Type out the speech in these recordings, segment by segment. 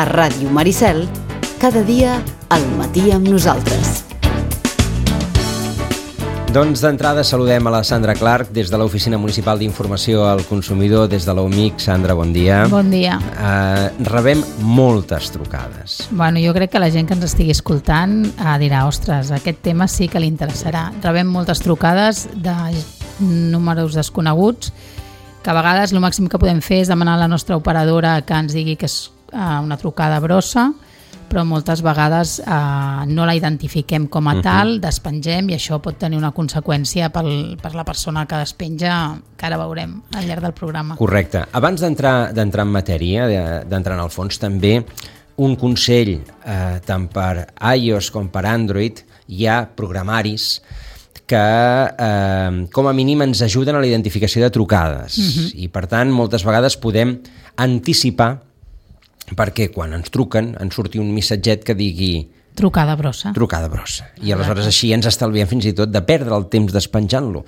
A Ràdio Maricel, cada dia al matí amb nosaltres. Doncs d'entrada saludem a la Sandra Clark des de l'Oficina Municipal d'Informació al Consumidor, des de l'OMIC. Sandra, bon dia. Bon dia. Rebem moltes trucades. Bueno, jo crec que la gent que ens estigui escoltant dirà, ostres, aquest tema sí que li interessarà. Rebem moltes trucades de números desconeguts, que a vegades el màxim que podem fer és demanar a la nostra operadora que ens digui que és una trucada brossa, però moltes vegades no la identifiquem com a tal, despengem, i això pot tenir una conseqüència per la persona que despenja, que ara veurem al llarg del programa. Correcte. Abans d'entrar en matèria, d'entrar en el fons, també un consell, tant per iOS com per Android, hi ha programaris que com a mínim ens ajuden a la identificació de trucades, i per tant moltes vegades podem anticipar, perquè quan ens truquen ens surti un missatget que digui trucada brossa. Trucada brossa. I aleshores així ens estalviem fins i tot de perdre el temps despenjant-lo.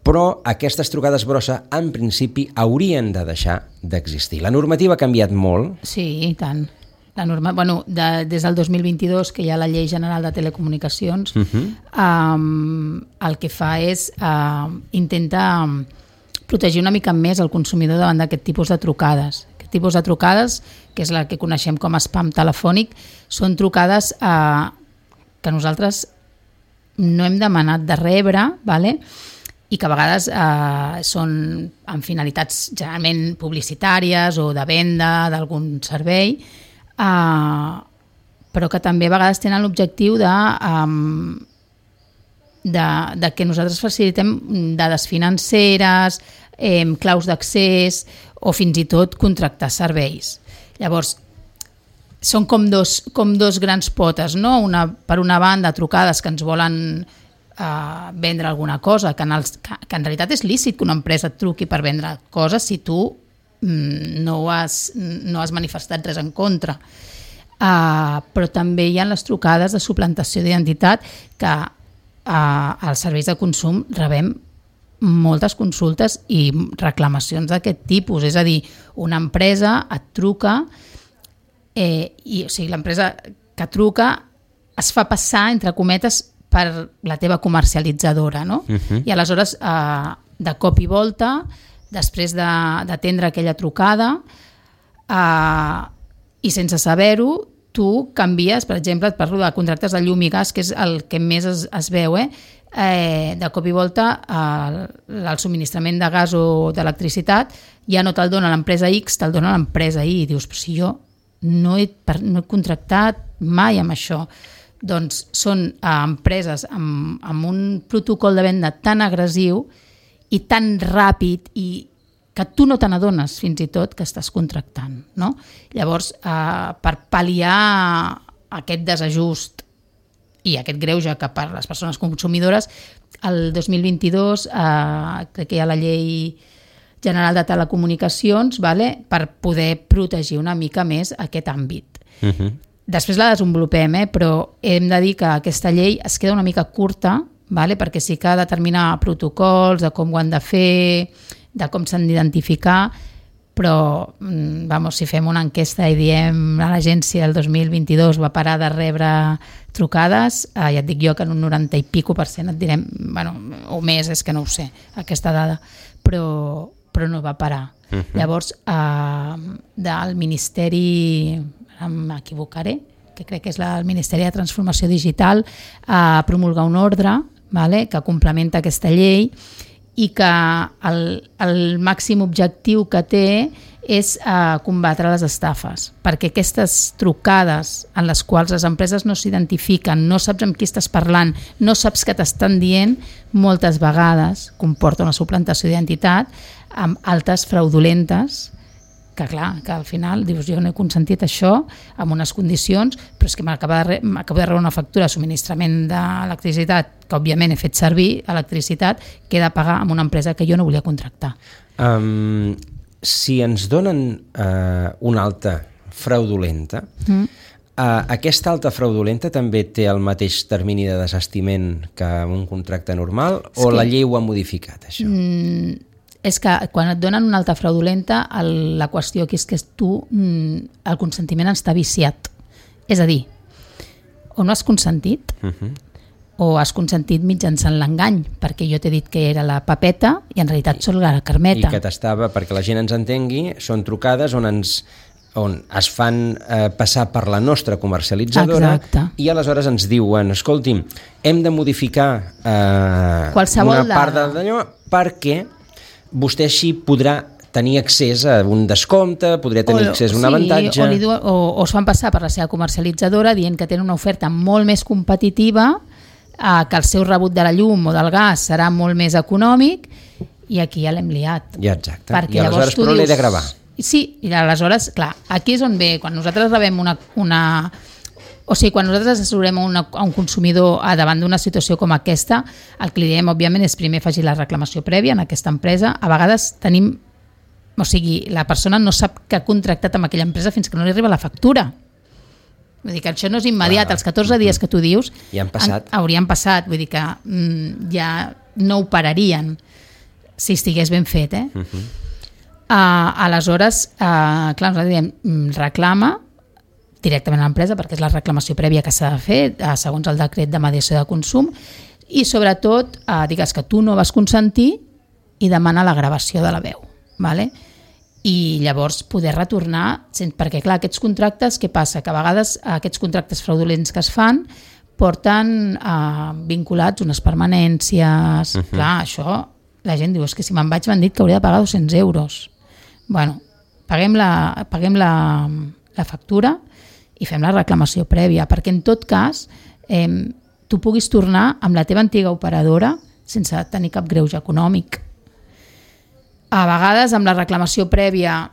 Però aquestes trucades brossa en principi haurien de deixar d'existir. La normativa ha canviat molt. Sí, i tant. Des del 2022, que hi ha la Llei General de Telecomunicacions, el que fa és intentar protegir una mica més el consumidor davant d'aquest tipus de trucades. Tipus de trucades, que és la que coneixem com a spam telefònic, són trucades que nosaltres no hem demanat de rebre, i que a vegades són amb finalitats generalment publicitàries o de venda d'algun servei, però que també a vegades tenen l'objectiu de que nosaltres facilitem dades financeres, claus d'accés o fins i tot contractar serveis. Llavors, són com dos grans potes, no? Per una banda, trucades que ens volen vendre alguna cosa, que en realitat és lícit que una empresa et truqui per vendre coses si tu no has manifestat res en contra. Però també hi ha les trucades de suplantació d'identitat, que als serveis de consum rebem moltes consultes i reclamacions d'aquest tipus. És a dir, una empresa et truca l'empresa que truca es fa passar, entre cometes, per la teva comercialitzadora, no? I aleshores, de cop i volta, després d'atendre aquella trucada, i sense saber-ho, tu canvies, per exemple, et parlo de contractes de llum i gas, que és el que més es veu, de cop i volta el subministrament de gas o d'electricitat ja no te'l dona l'empresa X, te'l dona l'empresa Y, i dius, però si jo no he contractat mai amb això. Doncs són empreses amb un protocol de venda tan agressiu i tan ràpid i que tu no te n'adones fins i tot que estàs contractant, no? Llavors, per pal·liar aquest desajust i aquest greuge que per les persones consumidores, el 2022 crec que hi ha la Llei General de Telecomunicacions, per poder protegir una mica més aquest àmbit. Després la desenvolupem, però hem de dir que aquesta llei es queda una mica curta, perquè sí que ha de determinar protocols de com ho han de fer, de com s'han d'identificar, però si fem una enquesta i diem a l'agència el 2022 va parar de rebre trucades, ja et dic jo que en un 90 i pico % et direm, o més, és que no ho sé, aquesta dada, però no va parar. Llavors, del Ministeri, m'equivocaré, que crec que és el Ministeri de Transformació Digital, promulga un ordre que complementa aquesta llei i que el màxim objectiu que té és combatre les estafes, perquè aquestes trucades en les quals les empreses no s'identifiquen, no saps amb qui estàs parlant, no saps què t'estan dient, moltes vegades comporta una suplantació d'identitat amb altes fraudulentes, que clar, que al final dius, jo no he consentit això amb unes condicions, però és que m'acabo de rebre una factura de subministrament d'electricitat, que òbviament he fet servir electricitat, que he de pagar amb una empresa que jo no volia contractar. Si ens donen una alta fraudulenta, aquesta alta fraudulenta també té el mateix termini de desistiment que un contracte normal, o la llei ho ha modificat, això? És que quan et donen una alta fraudulenta, la qüestió aquí és que tu, el consentiment està viciat. És a dir, o no has consentit, o has consentit mitjançant l'engany, perquè jo t'he dit que era la papeta i en realitat sóc la Carmeta. I que t'estava, perquè la gent ens entengui, són trucades on es fan passar per la nostra comercialitzadora. Exacte. I aleshores ens diuen, escolti'm, hem de modificar qualsevol una part d'allò perquè vostè així podrà tenir accés a un descompte, podria tenir accés a un avantatge. O es fan passar per la seva comercialitzadora dient que tenen una oferta molt més competitiva, que el seu rebut de la llum o del gas serà molt més econòmic, i aquí ja l'hem liat. Ja, exacte. Perquè I aleshores però l'he de gravar. Sí, i aleshores, clar, aquí és on ve, quan nosaltres rebem o sigui, quan nosaltres assessorem a un consumidor davant d'una situació com aquesta, el que li diem, òbviament, és primer afegir la reclamació prèvia en aquesta empresa. A vegades tenim... O sigui, la persona no sap que ha contractat amb aquella empresa fins que no li arriba la factura. Vull dir que això no és immediat. Els 14 dies que tu dius ja han passat. Haurien passat. Vull dir que ja no operarien si estigués ben fet, aleshores, clar, nosaltres diem, reclama directament a l'empresa, perquè és la reclamació prèvia que s'ha de fer segons el decret de mediació de consum, i sobretot digues que tu no vas consentir i demana la gravació de la veu, vale? I llavors poder retornar, perquè clar, aquests contractes, què passa? Que a vegades aquests contractes fraudulents que es fan porten vinculats unes permanències, clar, això la gent diu, és que si me'n vaig m'han dit que hauria de pagar 200 euros. Bueno, paguem la factura i fem la reclamació prèvia, perquè en tot cas tu puguis tornar amb la teva antiga operadora sense tenir cap greuge econòmic. A vegades amb la reclamació prèvia,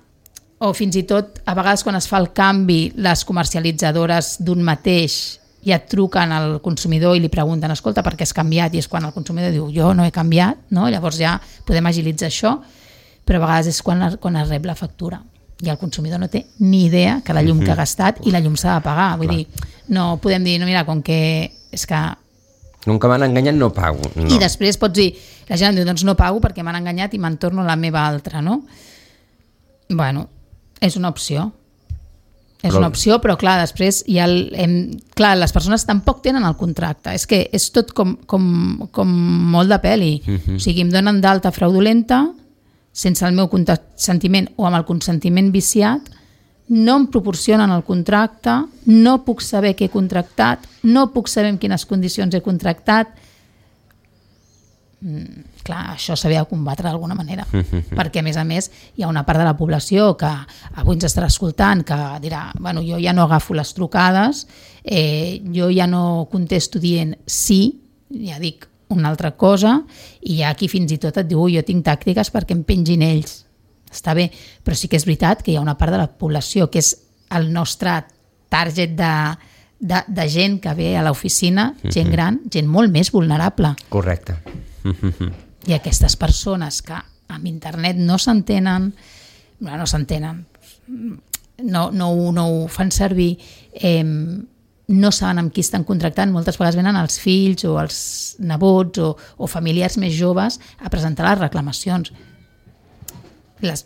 o fins i tot a vegades quan es fa el canvi, les comercialitzadores d'un mateix ja et truquen al consumidor i li pregunten, escolta, per què has canviat? I és quan el consumidor diu, jo no he canviat, no? Llavors ja podem agilitzar això, però a vegades és quan es rep la factura i el consumidor no té ni idea que la llum que ha gastat i la llum s'ha de pagar. Vull dir, no podem dir, no, mira, com que és que... Com que m'han enganyat no pago. No. I després pots dir, la gent diu, doncs no pago perquè m'han enganyat i me'n torno a la meva altra, no? Bueno, és una opció. És una opció, però clar, després hi ha clar, les persones tampoc tenen el contracte. És que és tot com molt de peli. O sigui, em donen d'alta fraudulenta sense el meu consentiment o amb el consentiment viciat, no em proporcionen el contracte, no puc saber què he contractat, no puc saber en quines condicions he contractat. Clar, això s'havia de combatre d'alguna manera, perquè a més hi ha una part de la població que avui ens estarà escoltant que dirà, bueno, jo ja no agafo les trucades, jo ja no contesto dient sí, ja dic una altra cosa, i hi ha qui fins i tot et diu, jo tinc tàctiques perquè em pengin ells. Està bé, però sí que és veritat que hi ha una part de la població que és el nostre target de gent que ve a l'oficina, gent gran, gent molt més vulnerable. Correcte. I aquestes persones que amb internet no s'entenen, no ho fan servir, no saben amb qui estan contractant, moltes vegades venen els fills o els nebots o familiars més joves a presentar les reclamacions. Les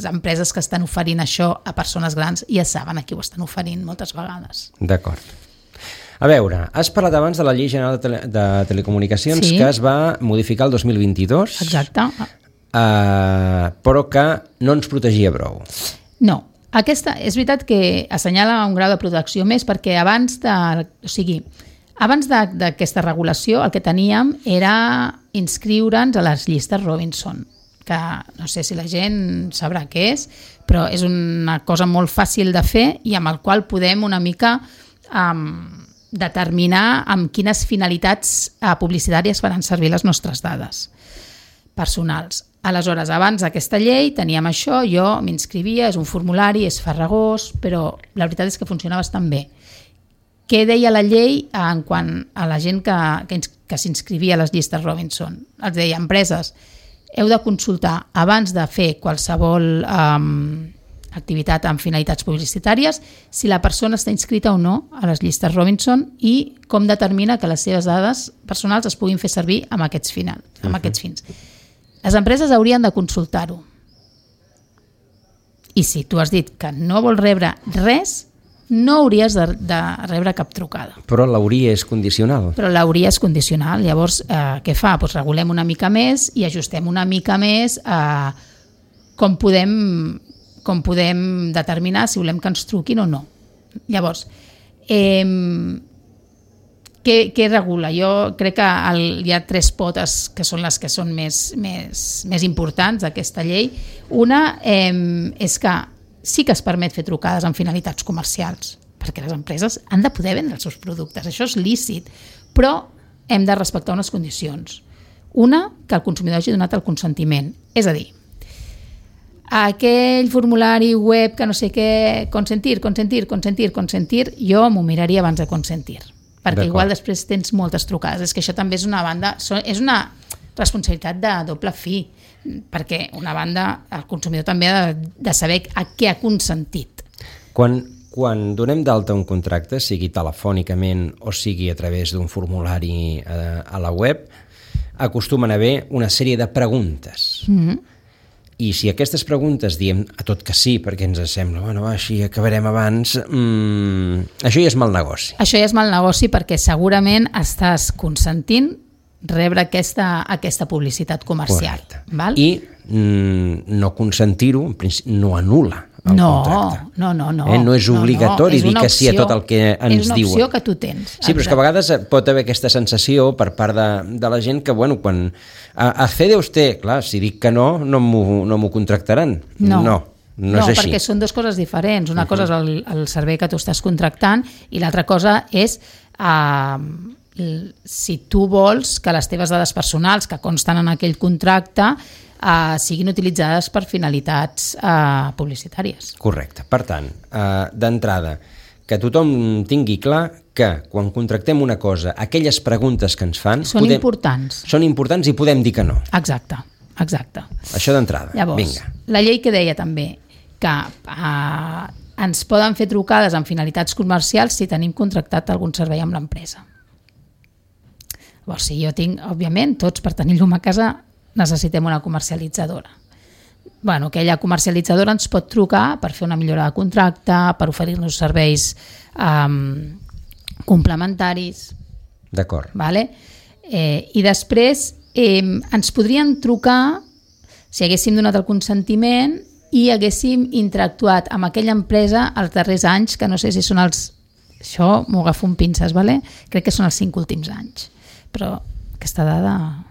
empreses que estan oferint això a persones grans ja saben a qui ho estan oferint moltes vegades. D'acord. A veure, has parlat abans de la Llei General de Telecomunicacions, sí, que es va modificar el 2022. Exacte. Però que no ens protegia prou. No. Aquesta, és veritat que assenyala un grau de protecció més perquè abans d'aquesta regulació el que teníem era inscriure'ns a les llistes Robinson, que no sé si la gent sabrà què és, però és una cosa molt fàcil de fer i amb el qual podem una mica determinar amb quines finalitats publicitàries faran servir les nostres dades personals. Aleshores, abans d'aquesta llei teníem això, jo m'inscrivia, és un formulari, és farragós, però la veritat és que funcionava bastant bé. Què deia la llei en quant a la gent que s'inscrivia a les llistes Robinson? Els deia, empreses, heu de consultar abans de fer qualsevol activitat amb finalitats publicitàries si la persona està inscrita o no a les llistes Robinson i com determina que les seves dades personals es puguin fer servir amb aquests fins. les empreses haurien de consultar-ho. I si tu has dit que no vols rebre res, no hauries de rebre cap trucada. Però l'hauria és condicional. Però l'hauria és condicional. Llavors, què fa? Doncs regulem una mica més i ajustem una mica més com podem determinar si volem que ens truquin o no. Llavors, què regula? Jo crec que hi ha 3 potes que són les que són més importants d'aquesta llei. Una és que sí que es permet fer trucades amb finalitats comercials, perquè les empreses han de poder vendre els seus productes, això és lícit, però hem de respectar unes condicions. Una, que el consumidor hagi donat el consentiment, és a dir, aquell formulari web que no sé què, consentir, jo m'ho miraria abans de consentir, perquè igual després tens moltes trucades. És que això també és una responsabilitat de doble fi, perquè una banda, el consumidor també ha de saber a què ha consentit. Quan donem d'alta un contracte, sigui telefònicament o sigui a través d'un formulari a la web, acostumen a haver una sèrie de preguntes. I si aquestes preguntes diem a tot que sí, perquè ens sembla, així acabarem abans, això ja és mal negoci. Això ja és mal negoci perquè segurament estàs consentint rebre aquesta publicitat comercial. Val? I no consentir-ho no anul·la el contracte. No. No és obligatori dir que sí a tot el que ens diuen. És una opció que tu tens. Sí, però és que a vegades pot haver aquesta sensació per part de la gent que, quan accede usted, clar, si dic que no m'ho contractaran. No és així. Perquè són dues coses diferents. Una cosa és el servei que tu estàs contractant i l'altra cosa és si tu vols que les teves dades personals que consten en aquell contracte siguin utilitzades per finalitats publicitàries. Correcte. Per tant, d'entrada, que tothom tingui clar que quan contractem una cosa, aquelles preguntes que ens fan són importants i podem dir que no. Exacte. Això d'entrada. Llavors, vinga. La llei que deia també que ens poden fer trucades amb finalitats comercials si tenim contractat algun servei amb l'empresa. Llavors, si jo tinc, òbviament, tots per tenir llum a casa necessitem una comercialitzadora. Aquella comercialitzadora ens pot trucar per fer una millora de contracte, per oferir-nos serveis complementaris. D'acord. Vale? I després ens podrien trucar si haguéssim donat el consentiment i haguéssim interactuat amb aquella empresa els darrers anys, que no sé si són això m'ho agafo amb pinces, vale? Crec que són els 5 últims anys. Però aquesta dada...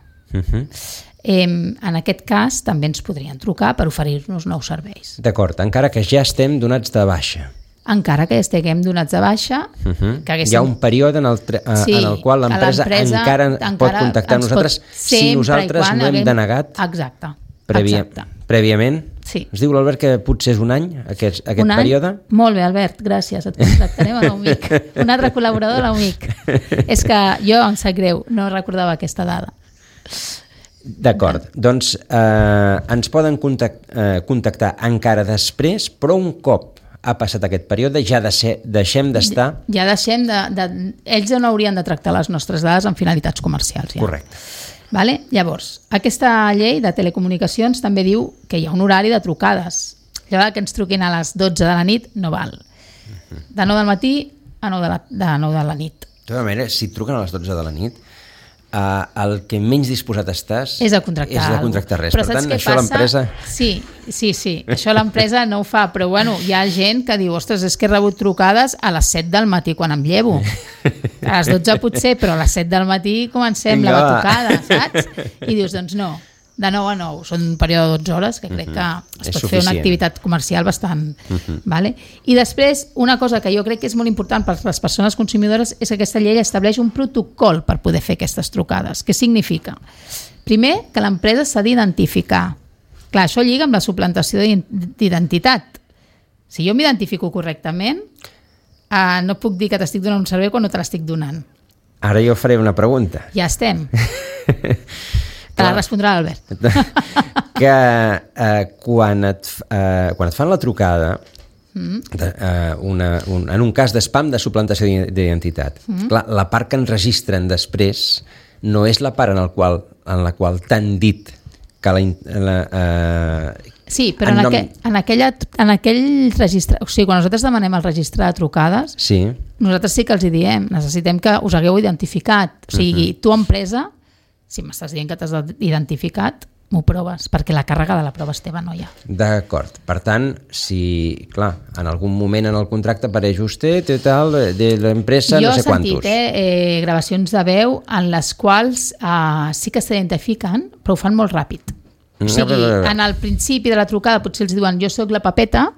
En aquest cas també ens podrien trucar per oferir-nos nous serveis. D'acord, encara que ja estem donats de baixa. Encara que ja estiguem donats de baixa. Hi ha un període en el qual l'empresa encara pot contactar nosaltres si nosaltres no hem denegat prèviament. Sí. Es diu l'Albert que potser és un any, aquest període? Molt bé, Albert, gràcies. Et contactarem a l'UMIC. Un altre col·laborador de l'UMIC. És que jo, em sap greu, no recordava aquesta dada. D'acord, doncs ens poden contactar encara després, però un cop ha passat aquest període ja deixem d'estar... Ells no haurien de tractar les nostres dades amb finalitats comercials. Ja. Correcte. Vale? Llavors, aquesta llei de telecomunicacions també diu que hi ha un horari de trucades. Allò que ens truquin a les 12 de la nit no val. De 9 del matí a 9 de la nit. De tota manera, si et truquen a les 12 de la nit, el que menys disposat estàs és de contractar res. Per tant, això l'empresa... Sí, això l'empresa no ho fa, però hi ha gent que diu, ostres, és que he rebut trucades a les 7 del matí quan em llevo. A les 12 potser, però a les 7 del matí comencem la batucada, saps? I dius, doncs no, de 9 a 9, són un període de 12 hores que crec que es pot fer una activitat comercial bastant... Vale? I després, una cosa que jo crec que és molt important per les persones consumidores és que aquesta llei estableix un protocol per poder fer aquestes trucades. Què significa? Primer, que l'empresa s'ha d'identificar. Clar, això lliga amb la suplantació d'identitat. Si jo m'identifico correctament, no puc dir que t'estic donant un servei quan no te l'estic donant. Ara jo faré una pregunta. Ja estem. Te la respondrà l'Albert. Que quan et fan la trucada, en un cas d'espam de suplantació d'identitat, clar, la part que ens registren després no és la part en la qual t'han dit Sí, però en aquell registre... O sigui, quan nosaltres demanem el registre de trucades, sí. Nosaltres sí que els hi diem, necessitem que us hagueu identificat. O sigui, tu, empresa, si m'estàs dient que t'has identificat, m'ho proves, perquè la càrrega de la prova és teva, no hi ha. D'acord. Per tant, si, clar, en algun moment en el contracte apareix usted i tal, de l'empresa no sé quantos. Jo he sentit gravacions de veu en les quals sí que s'identifiquen, però ho fan molt ràpid. O sigui, en el principi de la trucada potser els diuen jo sóc la Pepeta,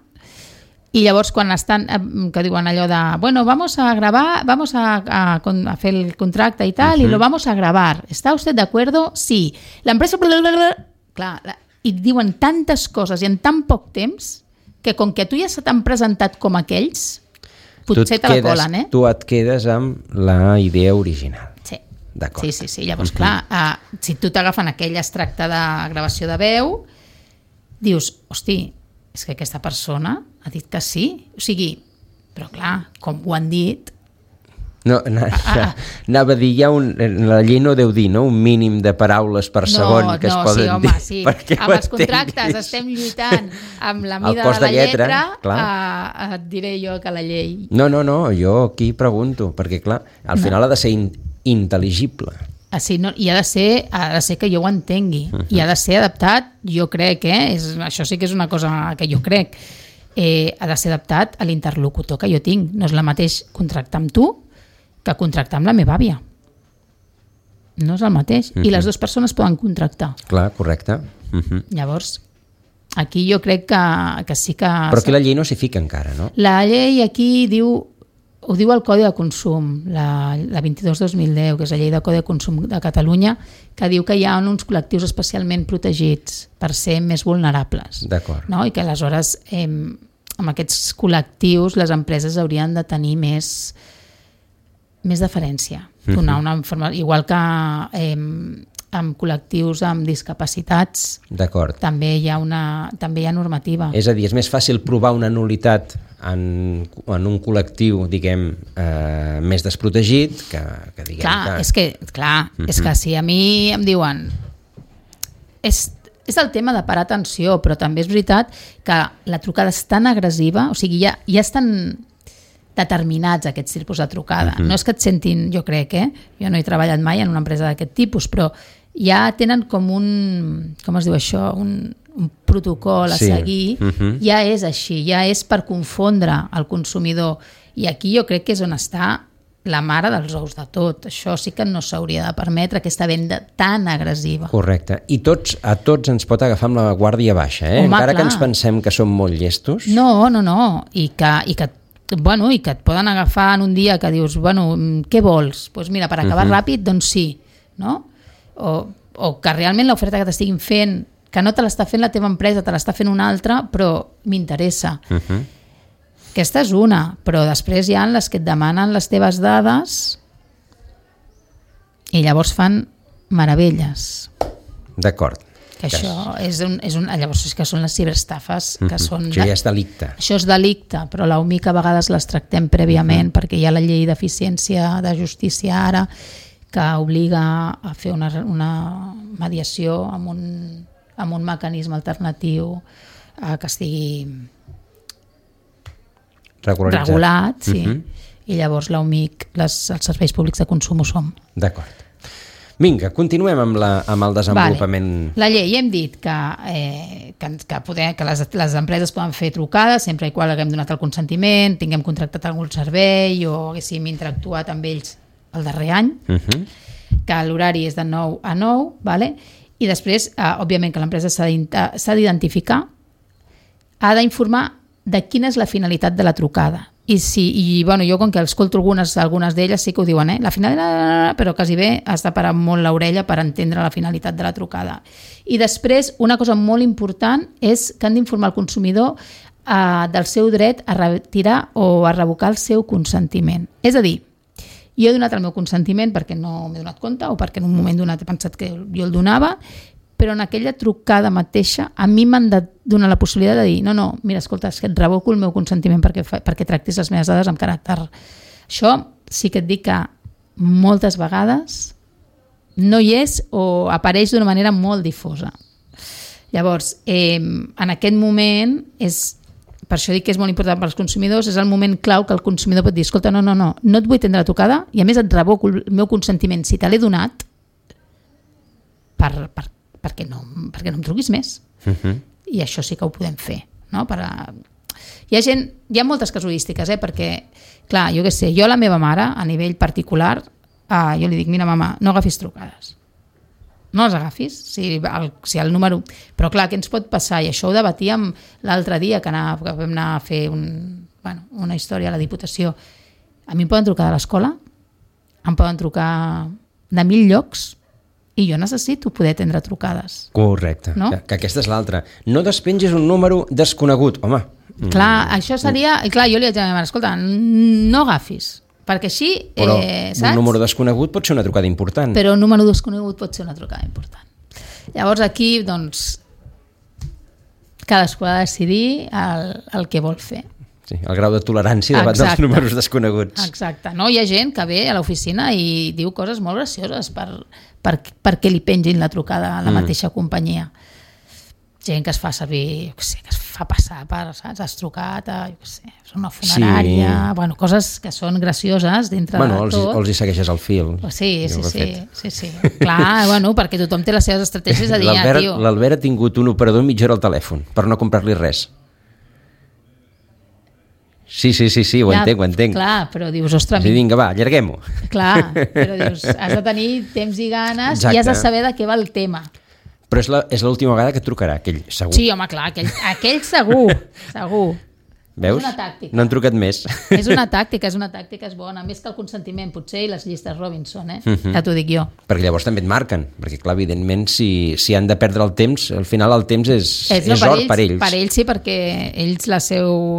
i llavors quan estan, que diuen allò de bueno, vamos a grabar, vamos a fer el contracte i tal, y lo vamos a grabar. ¿Está usted de acuerdo? Sí. La empresa... Clar, i diuen tantes coses i en tan poc temps que com que tu ja se t'han presentat com aquells, potser te la colen, Tu et quedes amb la idea original. Sí. D'acord. Sí. Llavors, clar, si tu t'agafen aquell extracte de gravació de veu, dius, hosti, és que aquesta persona ha dit que sí. O sigui, però clar, com ho han dit... No, anava a dir, la llei no deu dir, no? Un mínim de paraules per segon que es poden dir. Sí. Amb els contractes estem lluitant amb la mida de la lletra, et diré jo que la llei... No, jo aquí pregunto, perquè clar, al final ha de ser intel·ligible. Sí, no, i ha de ser que jo ho entengui, i ha de ser adaptat, jo crec, això sí que és una cosa que jo crec, ha de ser adaptat a l'interlocutor que jo tinc. No és el mateix contractar amb tu que contractar amb la meva àvia. No és el mateix. I les dues persones poden contractar. Clar, correcte. Llavors, aquí jo crec que sí que... Però aquí la llei no s'hi fica encara, no? La llei aquí ho diu el Codi de Consum, la 22/2010, que és la llei de Codi de Consum de Catalunya, que diu que hi ha uns col·lectius especialment protegits per ser més vulnerables. D'acord. No? I que aleshores amb aquests col·lectius les empreses haurien de tenir més deferència. Donar una informació, igual que amb col·lectius amb discapacitats, també hi ha normativa. És a dir, és més fàcil provar una nul·litat en un col·lectiu, diguem, més desprotegit que diguem... Clar, és que si a mi em diuen... És el tema de parar atenció, però també és veritat que la trucada és tan agressiva, o sigui, ja estan determinats aquests tipus de trucada. No és que et sentin, jo crec, jo no he treballat mai en una empresa d'aquest tipus, però ja tenen com com es diu això, un protocol a seguir, ja és així, ja és per confondre el consumidor. I aquí jo crec que és on està la mare dels ous de tot. Això sí que no s'hauria de permetre, aquesta venda tan agressiva. Correcte. I a tots ens pot agafar amb la guàrdia baixa, encara que ens pensem que som molt llestos. No. I que et poden agafar en un dia que dius, què vols? Doncs mira, per acabar ràpid, doncs sí, no? O que realment l'oferta que t'estiguin fent, que no te l'està fent la teva empresa, te l'està fent una altra, però m'interessa. Aquesta és una, però després hi ha les que et demanen les teves dades i llavors fan meravelles. D'acord. Que això llavors és que són les ciberestafes, que són... Això ja és delicte. Això és delicte, però l'UMIC a vegades les tractem prèviament perquè hi ha la llei d'eficiència de justícia ara que obliga a fer una mediació amb un mecanisme alternatiu que estigui regulat, sí. I llavors l'UMIC, els serveis públics de consum ho som. D'acord. Vinga, continuem amb el desenvolupament. Vale. La llei, hem dit que les empreses poden fer trucades sempre i quan haguem donat el consentiment, tinguem contractat algun servei o haguéssim interactuat amb ells el darrer any, que l'horari és de 9 a 9, vale? I després, òbviament, que l'empresa s'ha d'identificar, ha d'informar de quina és la finalitat de la trucada. Jo com que escolto algunes d'elles sí que ho diuen, la finalitat, però quasi bé has de parar molt l'orella per entendre la finalitat de la trucada. I després, una cosa molt important és que han d'informar el consumidor del seu dret a retirar o a revocar el seu consentiment. És a dir, jo he donat el meu consentiment perquè no m'he donat compte o perquè en un moment donat he pensat que jo el donava, però en aquella trucada mateixa a mi m'han de donar la possibilitat de dir no, mira, escolta, és que et revoco el meu consentiment perquè tractis les meves dades amb caràcter. Això sí que et dic que moltes vegades no hi és o apareix d'una manera molt difosa. Llavors, en aquest moment, per això dic que és molt important per als consumidors, és el moment clau que el consumidor pot dir, escolta, no et vull atendre la trucada i a més et revoco el meu consentiment si te l'he donat perquè no em truquis més. I això sí que ho podem fer. No? Hi ha moltes casuístiques, perquè, clar, jo què sé, jo a la meva mare, a nivell particular, jo li dic, mira, mama, no agafis trucades. No les agafis, si el número... Però clar, què ens pot passar? I això ho debatíem l'altre dia, que vam anar a fer una història a la Diputació. A mi em poden trucar de l'escola, em poden trucar de 1.000 llocs, i jo necessito poder atendre trucades. Correcte, no? Que aquesta és l'altra. No despengis un número desconegut, home. Clar, això seria... Clar, jo li vaig dir a la meva mare, escolta, no agafis, perquè així, però saps? Un número desconegut pot ser una trucada important. Però un número desconegut pot ser una trucada important. Llavors aquí, doncs, cadascú ha de decidir el que vol fer. Sí, el grau de tolerància davant dels números desconeguts. Exacte. No? Hi ha gent que ve a l'oficina i diu coses molt gracioses perquè li pengin la trucada a la mateixa companyia. Gent que es fa servir, que es fa passar per, saps, has trucat a, una funerària, sí. Coses que són gracioses dintre de tot. Els hi segueixes el fil. Sí. Clar, perquè tothom té les seves estratègies a dir, tio. L'Albert ha tingut un operador mitja hora al telèfon per no comprar-li res. Sí, ho entenc. Clar, però dius, ostres... Sí, vinga, va, allarguem-ho. Clar, però dius, has de tenir temps i ganes. Exacte. I has de saber de què va el tema. Però és l'última vegada que et trucarà, aquell segur. Sí, home, clar, aquell segur. Veus? És una tàctica. No han trucat més. És una tàctica, és bona. Més que el consentiment, potser, i les llistes Robinson, ja t'ho dic jo. Perquè llavors també et marquen, perquè clar, evidentment, si han de perdre el temps, al final el temps és or per ells. Per ells sí, perquè ells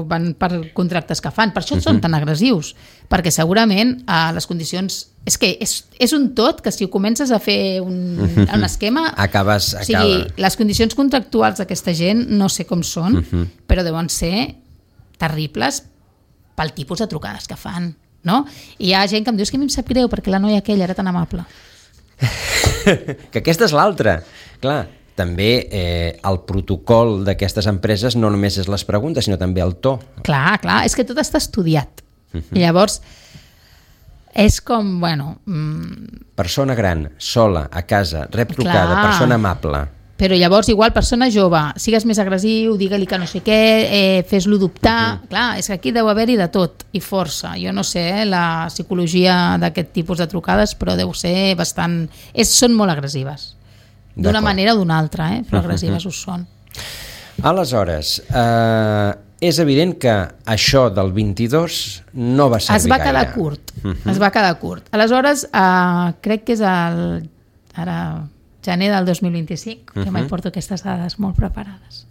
van per contractes que fan. Per això són tan agressius, perquè segurament les condicions... És que és un tot que si ho comences a fer un esquema... Acabes. O sigui, les condicions contractuals d'aquesta gent no sé com són, però deuen ser terribles pel tipus de trucades que fan, no? I hi ha gent que em diu, que a mi em sap greu perquè la noia aquella era tan amable. Que aquesta és l'altra. Clar, també el protocol d'aquestes empreses no només és les preguntes, sinó també el to. Clar, és que tot està estudiat. I llavors... És com, persona gran, sola, a casa, rep trucada, persona amable. Però llavors, igual, persona jove, sigues més agressiu, digue-li que no sé què, fes-lo dubtar. Clar, és que aquí deu haver-hi de tot, i força. Jo no sé la psicologia d'aquest tipus de trucades, però deu ser bastant... Són molt agressives. D'una manera o d'una altra, però agressives ho són. Aleshores, és evident que això del 22 no va servir gaire. Es va quedar curt. Aleshores, crec que és ara gener del 2025, que mai porto aquestes dades molt preparades.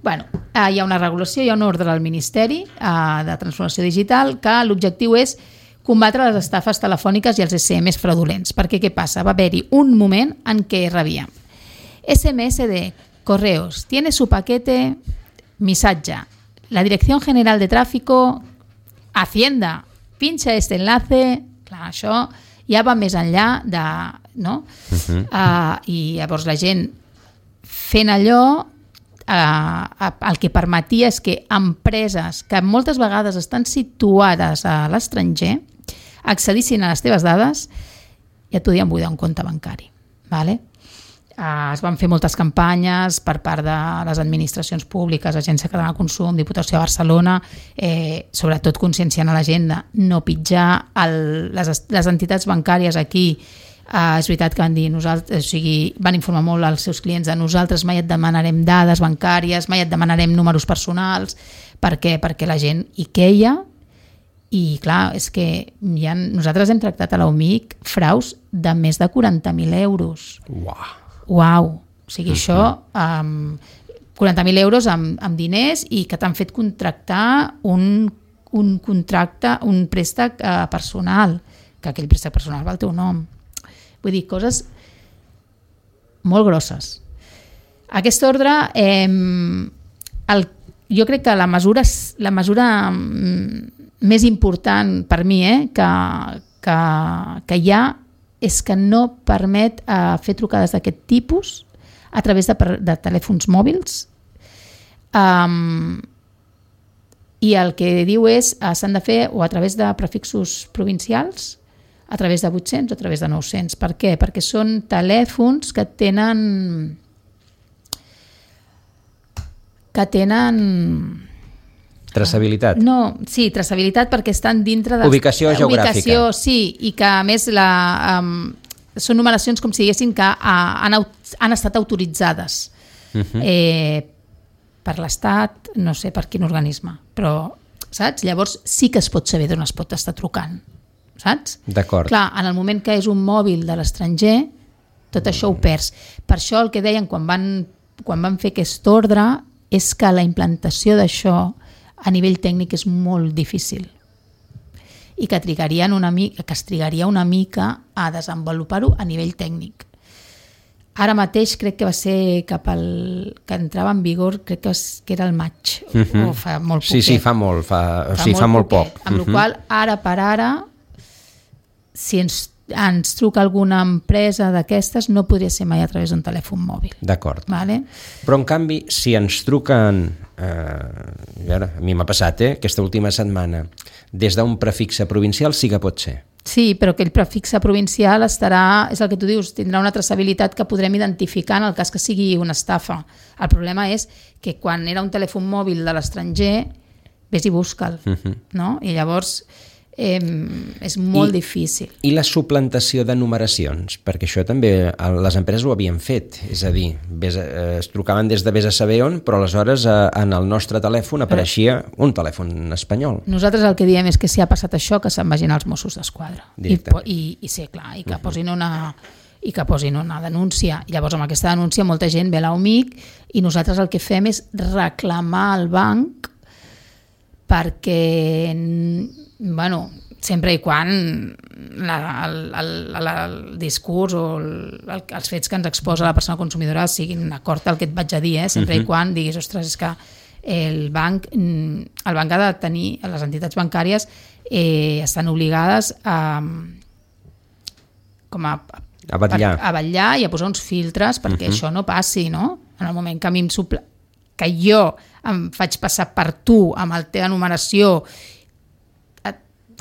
Hi ha una regulació, hi ha un ordre del Ministeri de Transformació Digital que l'objectiu és combatre les estafes telefòniques i els SMS fraudulents. Perquè què passa? Va haver-hi un moment en què rebíem SMS de correos, tiene su paquete, missatge, la Dirección General de Tráfico, Hacienda, pincha este enlace, clar, això ja va més enllà de... No? I llavors la gent fent allò, el que permetia és que empreses que moltes vegades estan situades a l'estranger accedissin a les teves dades i et podien buidar un compte bancari. Vale? Es van fer moltes campanyes per part de les administracions públiques, Agència Catalana de Consum, Diputació de Barcelona, sobretot conscienciant a la gent de no pitjar les entitats bancàries aquí. És veritat que van dir, van informar molt als seus clients de nosaltres mai et demanarem dades bancàries, mai et demanarem números personals, perquè la gent hi queia. I clar, és que nosaltres hem tractat a l'OMIC fraus de més de 40.000 euros. Uau! O sigui, això, 40.000 euros amb diners i que t'han fet contractar un contracte, un préstec personal, que aquell préstec personal va al teu nom. Vull dir, coses molt grosses. Aquest ordre, jo crec que la mesura més important per mi que hi ha és que no permet fer trucades d'aquest tipus a través de telèfons mòbils. I el que diu és s'han de fer o a través de prefixos provincials, a través de 800 o a través de 900. Per què? Perquè són telèfons que tenen traçabilitat. No, sí, traçabilitat perquè estan dintre de... Ubicació geogràfica. Ubicació, sí, i que a més són numeracions com si diguessin que han estat autoritzades per l'Estat, no sé per quin organisme, però, saps? Llavors sí que es pot saber d'on es pot estar trucant, saps? D'acord. Clar, en el moment que és un mòbil de l'estranger, tot això ho perds. Per això el que deien quan van fer aquest ordre és que la implantació d'això a nivell tècnic és molt difícil i que es trigaria una mica a desenvolupar-ho a nivell tècnic. Ara mateix crec que va ser que entrava en vigor, crec que era el maig, o fa molt poquet. Sí, fa molt poc. Amb la qual ara per ara, si ens truca alguna empresa d'aquestes, no podria ser mai a través d'un telèfon mòbil. D'acord. Vale? Però en canvi, si ens truquen, a mi m'ha passat, aquesta última setmana, des d'un prefixe provincial sí que pot ser. Sí, però aquell prefixe provincial estarà, és el que tu dius, tindrà una traçabilitat que podrem identificar en el cas que sigui una estafa. El problema és que quan era un telèfon mòbil de l'estranger, vés i busca'l, no? I llavors és molt difícil. I la suplantació de numeracions, perquè això també les empreses ho havien fet, és a dir, es trucaven des de vés a saber on, però aleshores en el nostre telèfon apareixia un telèfon espanyol. Nosaltres el que diem és que si ha passat això, que se'n vagin als Mossos d'Esquadra. I sí, clar, i que posin una denúncia. Llavors amb aquesta denúncia molta gent ve a l'OMIC i nosaltres el que fem és reclamar al banc perquè sempre i quan el discurs o els fets que ens exposa la persona consumidora siguin d'acord al que et vaig a dir, sempre i quan diguis, ostres, és que el banc ha de tenir, les entitats bancàries estan obligades a vetllar i a posar uns filtres perquè això no passi, no? En el moment que a mi que jo em faig passar per tu amb la teva numeració,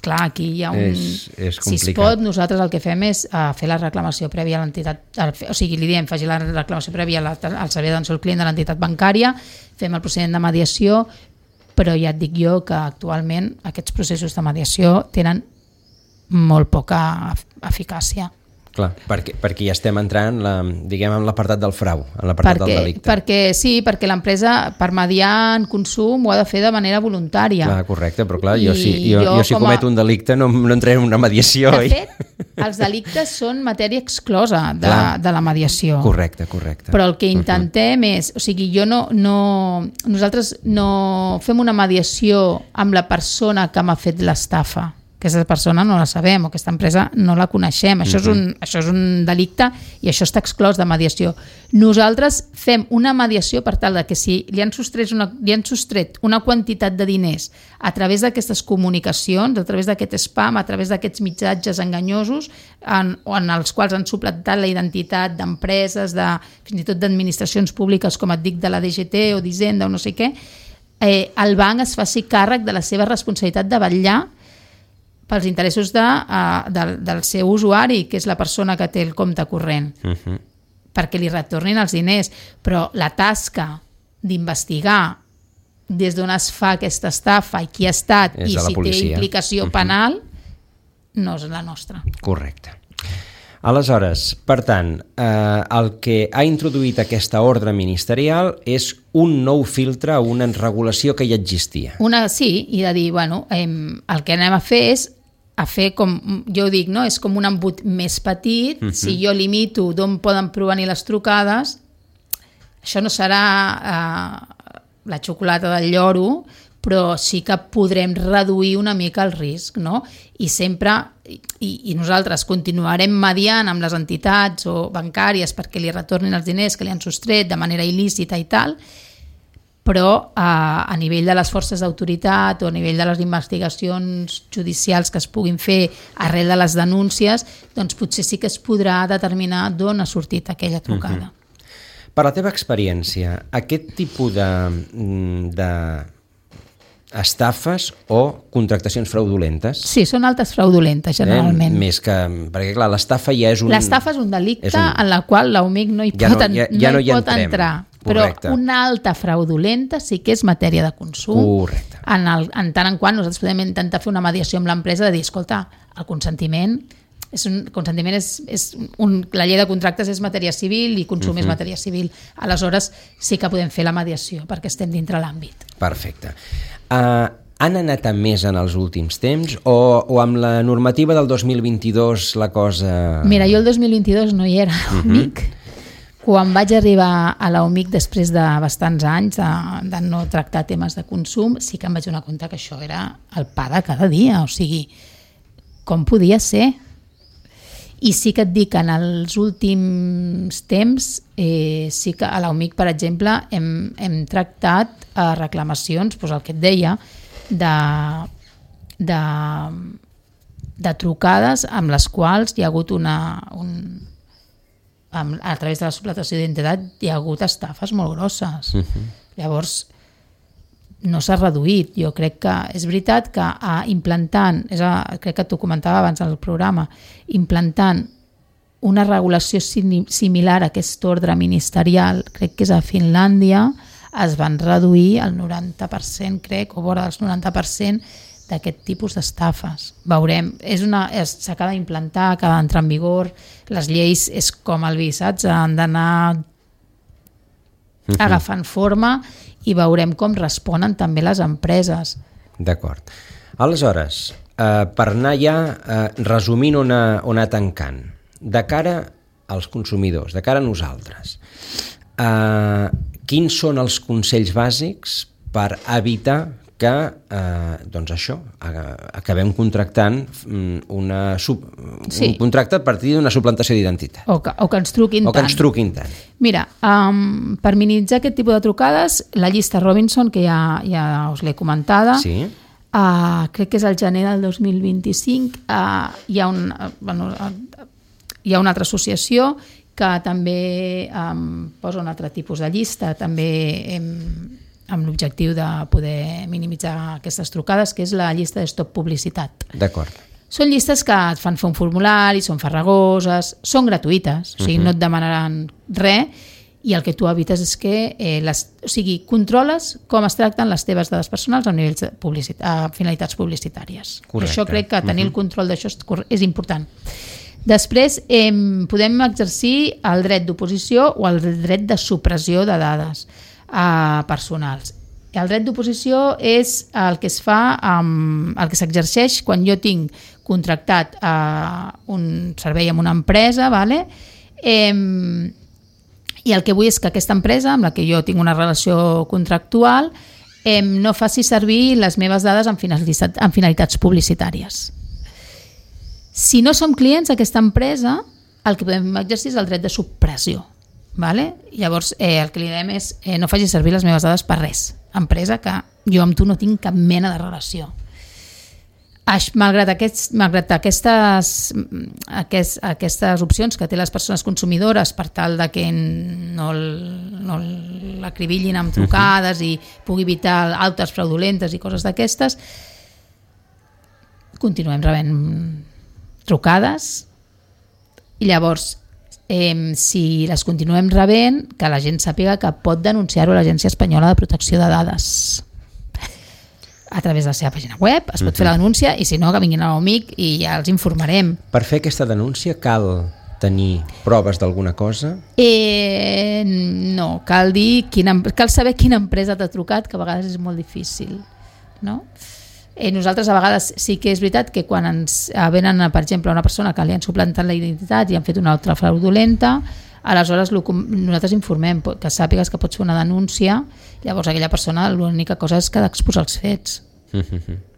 clar, aquí hi ha és si es pot, nosaltres el que fem és fer la reclamació prèvia a l'entitat, o sigui, li diem, faci la reclamació prèvia al servei d'atenció al client de l'entitat bancària, fem el procediment de mediació, però ja et dic jo que actualment aquests processos de mediació tenen molt poca eficàcia. Clar, perquè ja estem entrant diguem en l'apartat del frau, en l'apartat del delicte. Perquè l'empresa per mediar en consum ho ha de fer de manera voluntària. Clar, correcte, però clar, jo si cometo un delicte no entraré en una mediació. De fet, els delictes són matèria exclosa de la mediació. Correcte. Però el que intentem és, o sigui, nosaltres no fem una mediació amb la persona que m'ha fet l'estafa. Aquesta persona no la sabem o aquesta empresa no la coneixem. Això és un delicte i això està exclòs de mediació. Nosaltres fem una mediació per tal de que si li han sostret una quantitat de diners a través d'aquestes comunicacions, a través d'aquest spam, a través d'aquests missatges enganyosos en els quals han suplantat la identitat d'empreses, fins i tot d'administracions públiques, com et dic, de la DGT o d'Hisenda o no sé què, el banc es faci càrrec de la seva responsabilitat de vetllar pels interessos del seu usuari, que és la persona que té el compte corrent, perquè li retornin els diners. Però la tasca d'investigar des d'on es fa aquesta estafa i qui ha estat i si té implicació penal no és la nostra. Correcte. Aleshores, per tant, el que ha introduït aquesta ordre ministerial és un nou filtre o una regulació que ja existia. Sí, i de dir, el que anem a fer és com jo dic, no? És com un embut més petit. Si jo limito d'on poden provenir les trucades, això no serà la xocolata del lloro, però sí que podrem reduir una mica el risc, no? I sempre, i nosaltres continuarem mediant amb les entitats o bancàries perquè li retornin els diners que li han sostret de manera il·lícita i tal, però a nivell de les forces d'autoritat o a nivell de les investigacions judicials que es puguin fer arrel de les denúncies, doncs potser sí que es podrà determinar d'on ha sortit aquella trucada. Per la teva experiència, aquest tipus de estafes o contractacions fraudulentes? Sí, són altes fraudulentes, generalment. Més que... Perquè, clar, l'estafa ja és un... L'estafa és un delicte en la qual l'UMIC no hi pot entrar. Correcte. Però una alta fraudulenta sí que és matèria de consum. Correcte. En tant en quant nosaltres podem intentar fer una mediació amb l'empresa de dir, escolta, el consentiment la llei de contractes és matèria civil i consum és matèria civil. Aleshores sí que podem fer la mediació perquè estem dintre l'àmbit. Perfecte. Han anat a més en els últims temps o amb la normativa del 2022 la cosa... Mira, jo el 2022 no hi era a l'UMIC. Quan vaig arribar a la UMIC després de bastants anys de no tractar temes de consum, sí que em vaig donar compte que això era el pa de cada dia. O sigui, com podia ser? I sí que et dic que en els últims temps sí que a la UMIC, per exemple, hem tractat reclamacions, doncs el que et deia, de trucades amb les quals hi ha hagut a través de la suplantació d'identitat hi ha hagut estafes molt grosses. Llavors no s'ha reduït. Jo crec que és veritat que implantant, crec que t'ho comentava abans al programa, implantant una regulació similar a aquest ordre ministerial, crec que és a Finlàndia, es van reduir el 90%, crec, o vora del 90% d'aquest tipus d'estafes. Veurem, s'acaba d'implantar, acaba d'entrar en vigor, les lleis és com el vi, saps? Han d'anar agafant forma i veurem com responen també les empreses. D'acord. Aleshores, per anar ja resumint o anar tancant, de cara als consumidors, de cara a nosaltres, quins són els consells bàsics per evitar que acabem contractant un contracte a partir d'una suplantació d'identitat. O que ens truquin tant. Mira, per minimitzar aquest tipus de trucades, la llista Robinson, que ja us l'he comentada, sí. Crec que és el gener del 2025, hi ha una altra associació que també posa un altre tipus de llista, també amb l'objectiu de poder minimitzar aquestes trucades, que és la llista de stop publicitat. D'acord. Són llistes que et fan fer un formulari, són farragoses, són gratuïtes, o sigui, no et demanaran res, i el que tu evites és que controles com es tracten les teves dades personals a finalitats publicitàries. Correcte. Això crec que tenir el control d'això és important. Després podem exercir el dret d'oposició o el dret de supressió de dades personals. El dret d'oposició és el que es fa, el que s'exerceix quan jo tinc contractat un servei amb una empresa, vale? I el que vull és que aquesta empresa amb la que jo tinc una relació contractual no faci servir les meves dades amb finalitats publicitàries. Si no som clients d'aquesta empresa, el que podem exercir és el dret de supressió. Vale? Llavors el que li diem és no faci servir les meves dades per res, empresa que jo amb tu no tinc cap mena de relació. Malgrat aquestes opcions que té les persones consumidores per tal de que no l'acribillin amb trucades i pugui evitar altes fraudulentes i coses d'aquestes, continuem rebent trucades i llavors si les continuem rebent, que la gent sàpiga que pot denunciar-ho a l'Agència Espanyola de Protecció de Dades a través de la seva pàgina web, es pot fer la denúncia i si no, que vinguin a l'UMIC i ja els informarem. Per fer aquesta denúncia cal tenir proves d'alguna cosa? No, cal saber quina empresa t'ha trucat, que a vegades és molt difícil, no? Nosaltres a vegades sí que és veritat que quan ens venen, per exemple, una persona que li han suplantat la identitat i han fet una altra fraudulenta, aleshores nosaltres informem que sàpigues que pots fer una denúncia, llavors aquella persona l'única cosa és que ha d'exposar els fets.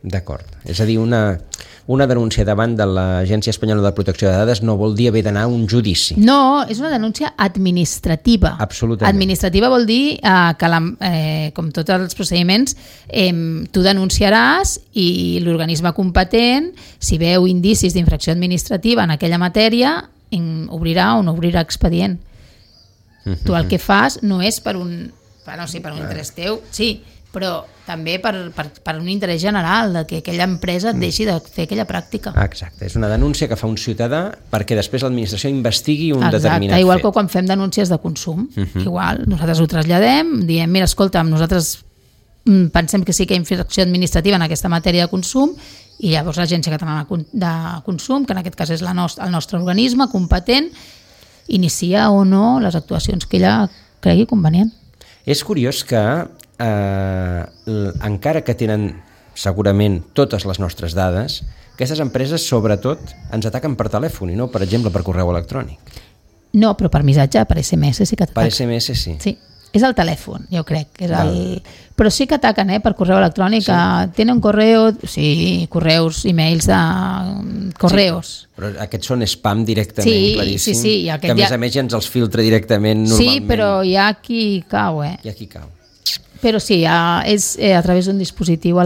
D'acord. És a dir, una denúncia davant de l'Agència Espanyola de Protecció de Dades no vol dir haver d'anar a un judici. No, és una denúncia administrativa. Absolutament. Administrativa vol dir que, com tots els procediments, tu denunciaràs i l'organisme competent, si veu indicis d'infracció administrativa en aquella matèria, obrirà o no obrirà expedient. Tu el que fas no és per un interès teu, sí, però també per un interès general, de que aquella empresa et deixi de fer aquella pràctica. Exacte, és una denúncia que fa un ciutadà perquè després l'administració investigui un determinat fet. Igual que quan fem denúncies de consum. Igual, nosaltres ho traslladem, diem, mira, escolta'm, nosaltres pensem que sí que hi ha infracció administrativa en aquesta matèria de consum, i llavors l'Agència Catalana de Consum, que en aquest cas és el nostre organisme competent, inicia o no les actuacions que ella cregui convenient. És curiós que encara que tenen segurament totes les nostres dades, aquestes empreses sobretot ens ataquen per telèfon i no, per exemple, per correu electrònic. No, però per missatge, per SMS sí que ataquen. Per SMS sí. Sí, és el telèfon, jo crec. Però sí que ataquen per correu electrònic. Sí. Tenen correu, sí, correus, e-mails de correus. Sí, però aquests són spam directament, claríssim. Sí. Que a més a més ja ens els filtra directament normalment. Sí, però hi ha qui cau, Hi ha qui cau. Però sí, és a través d'un dispositiu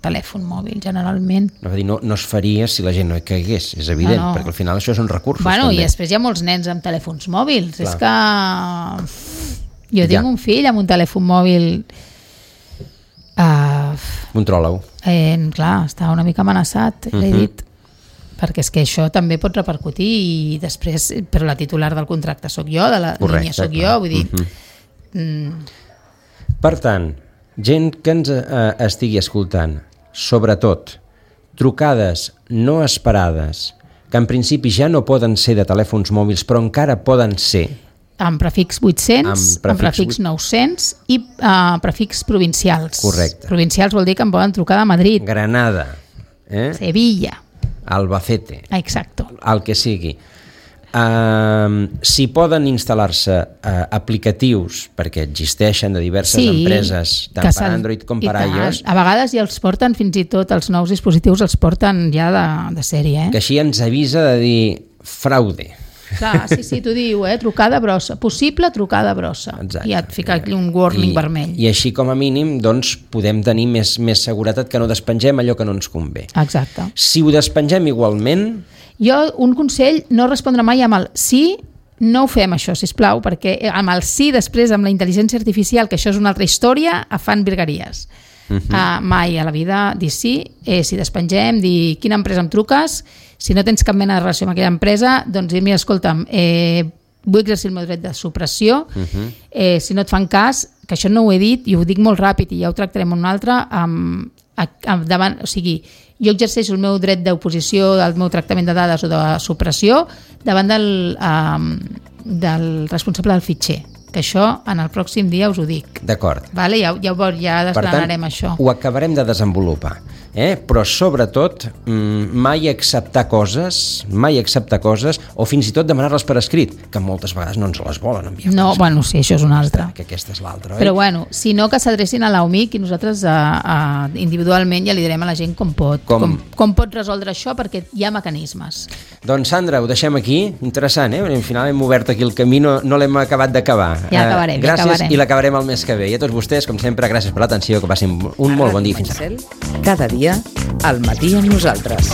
telèfon mòbil, generalment. No es faria si la gent no hi caigués, és evident, perquè al final això són recursos. Bueno, també. I després hi ha molts nens amb telèfons mòbils. Clar. És que jo tinc un fill amb un telèfon mòbil. Controla-ho. Clar, està una mica amenaçat, l'he dit, perquè és que això també pot repercutir i després, però la titular del contracte sóc jo, de la línia sóc jo, vull dir... Per tant, gent que ens estigui escoltant, sobretot trucades no esperades, que en principi ja no poden ser de telèfons mòbils, però encara poden ser... Amb prefix 800, amb prefix 900 i prefix provincials. Correcte. Provincials vol dir que em poden trucar de Madrid. Granada. Sevilla. Albacete. Exacto. El que sigui. Si poden instal·lar-se aplicatius, perquè existeixen de diverses empreses, tant per Android com per iOS. A vegades ja els porten, fins i tot els nous dispositius els porten ja de sèrie. Que així ens avisa de dir fraude. Clar, sí, t'ho diu, trucada brossa, possible trucada brossa. Exacte. I et fica aquí un warning vermell. I així com a mínim doncs, podem tenir més seguretat que no despengem allò que no ens convé. Exacte. Si ho despengem igualment... Jo, un consell, no respondre mai amb el sí, no ho fem això, sisplau, perquè amb el sí després, amb la intel·ligència artificial, que això és una altra història, fan virgueries. Mai a la vida dir sí, si despengem, dir quina empresa em truques, si no tens cap mena de relació amb aquella empresa, doncs dir-me, escolta'm, vull exercir el meu dret de supressió, si no et fan cas, que això no ho he dit i ho dic molt ràpid i ja ho tractarem un altre, davant, o sigui, jo exerceixo el meu dret d'oposició del meu tractament de dades o de supressió davant del responsable del fitxer, que això en el pròxim dia us ho dic. D'acord. Vale? Ja desgranarem això. Ho acabarem de desenvolupar. Però sobretot mai acceptar coses o fins i tot demanar-les per escrit, que moltes vegades no ens les volen enviar. No, bueno, sí, això és una altra. Que aquesta és l'altra, Però bueno, si no, que s'adrecin a l'UMIC i nosaltres individualment ja li direm a la gent com pot resoldre això, perquè hi ha mecanismes. Doncs Sandra, ho deixem aquí, interessant, al final hem obert aquí el camí, no l'hem acabat d'acabar. Ja acabarem. Gràcies i l'acabarem el mes que ve. I a tots vostès, com sempre, gràcies per l'atenció, que passin un molt bon dia. Fins ara. Cada dia al matí amb nosaltres.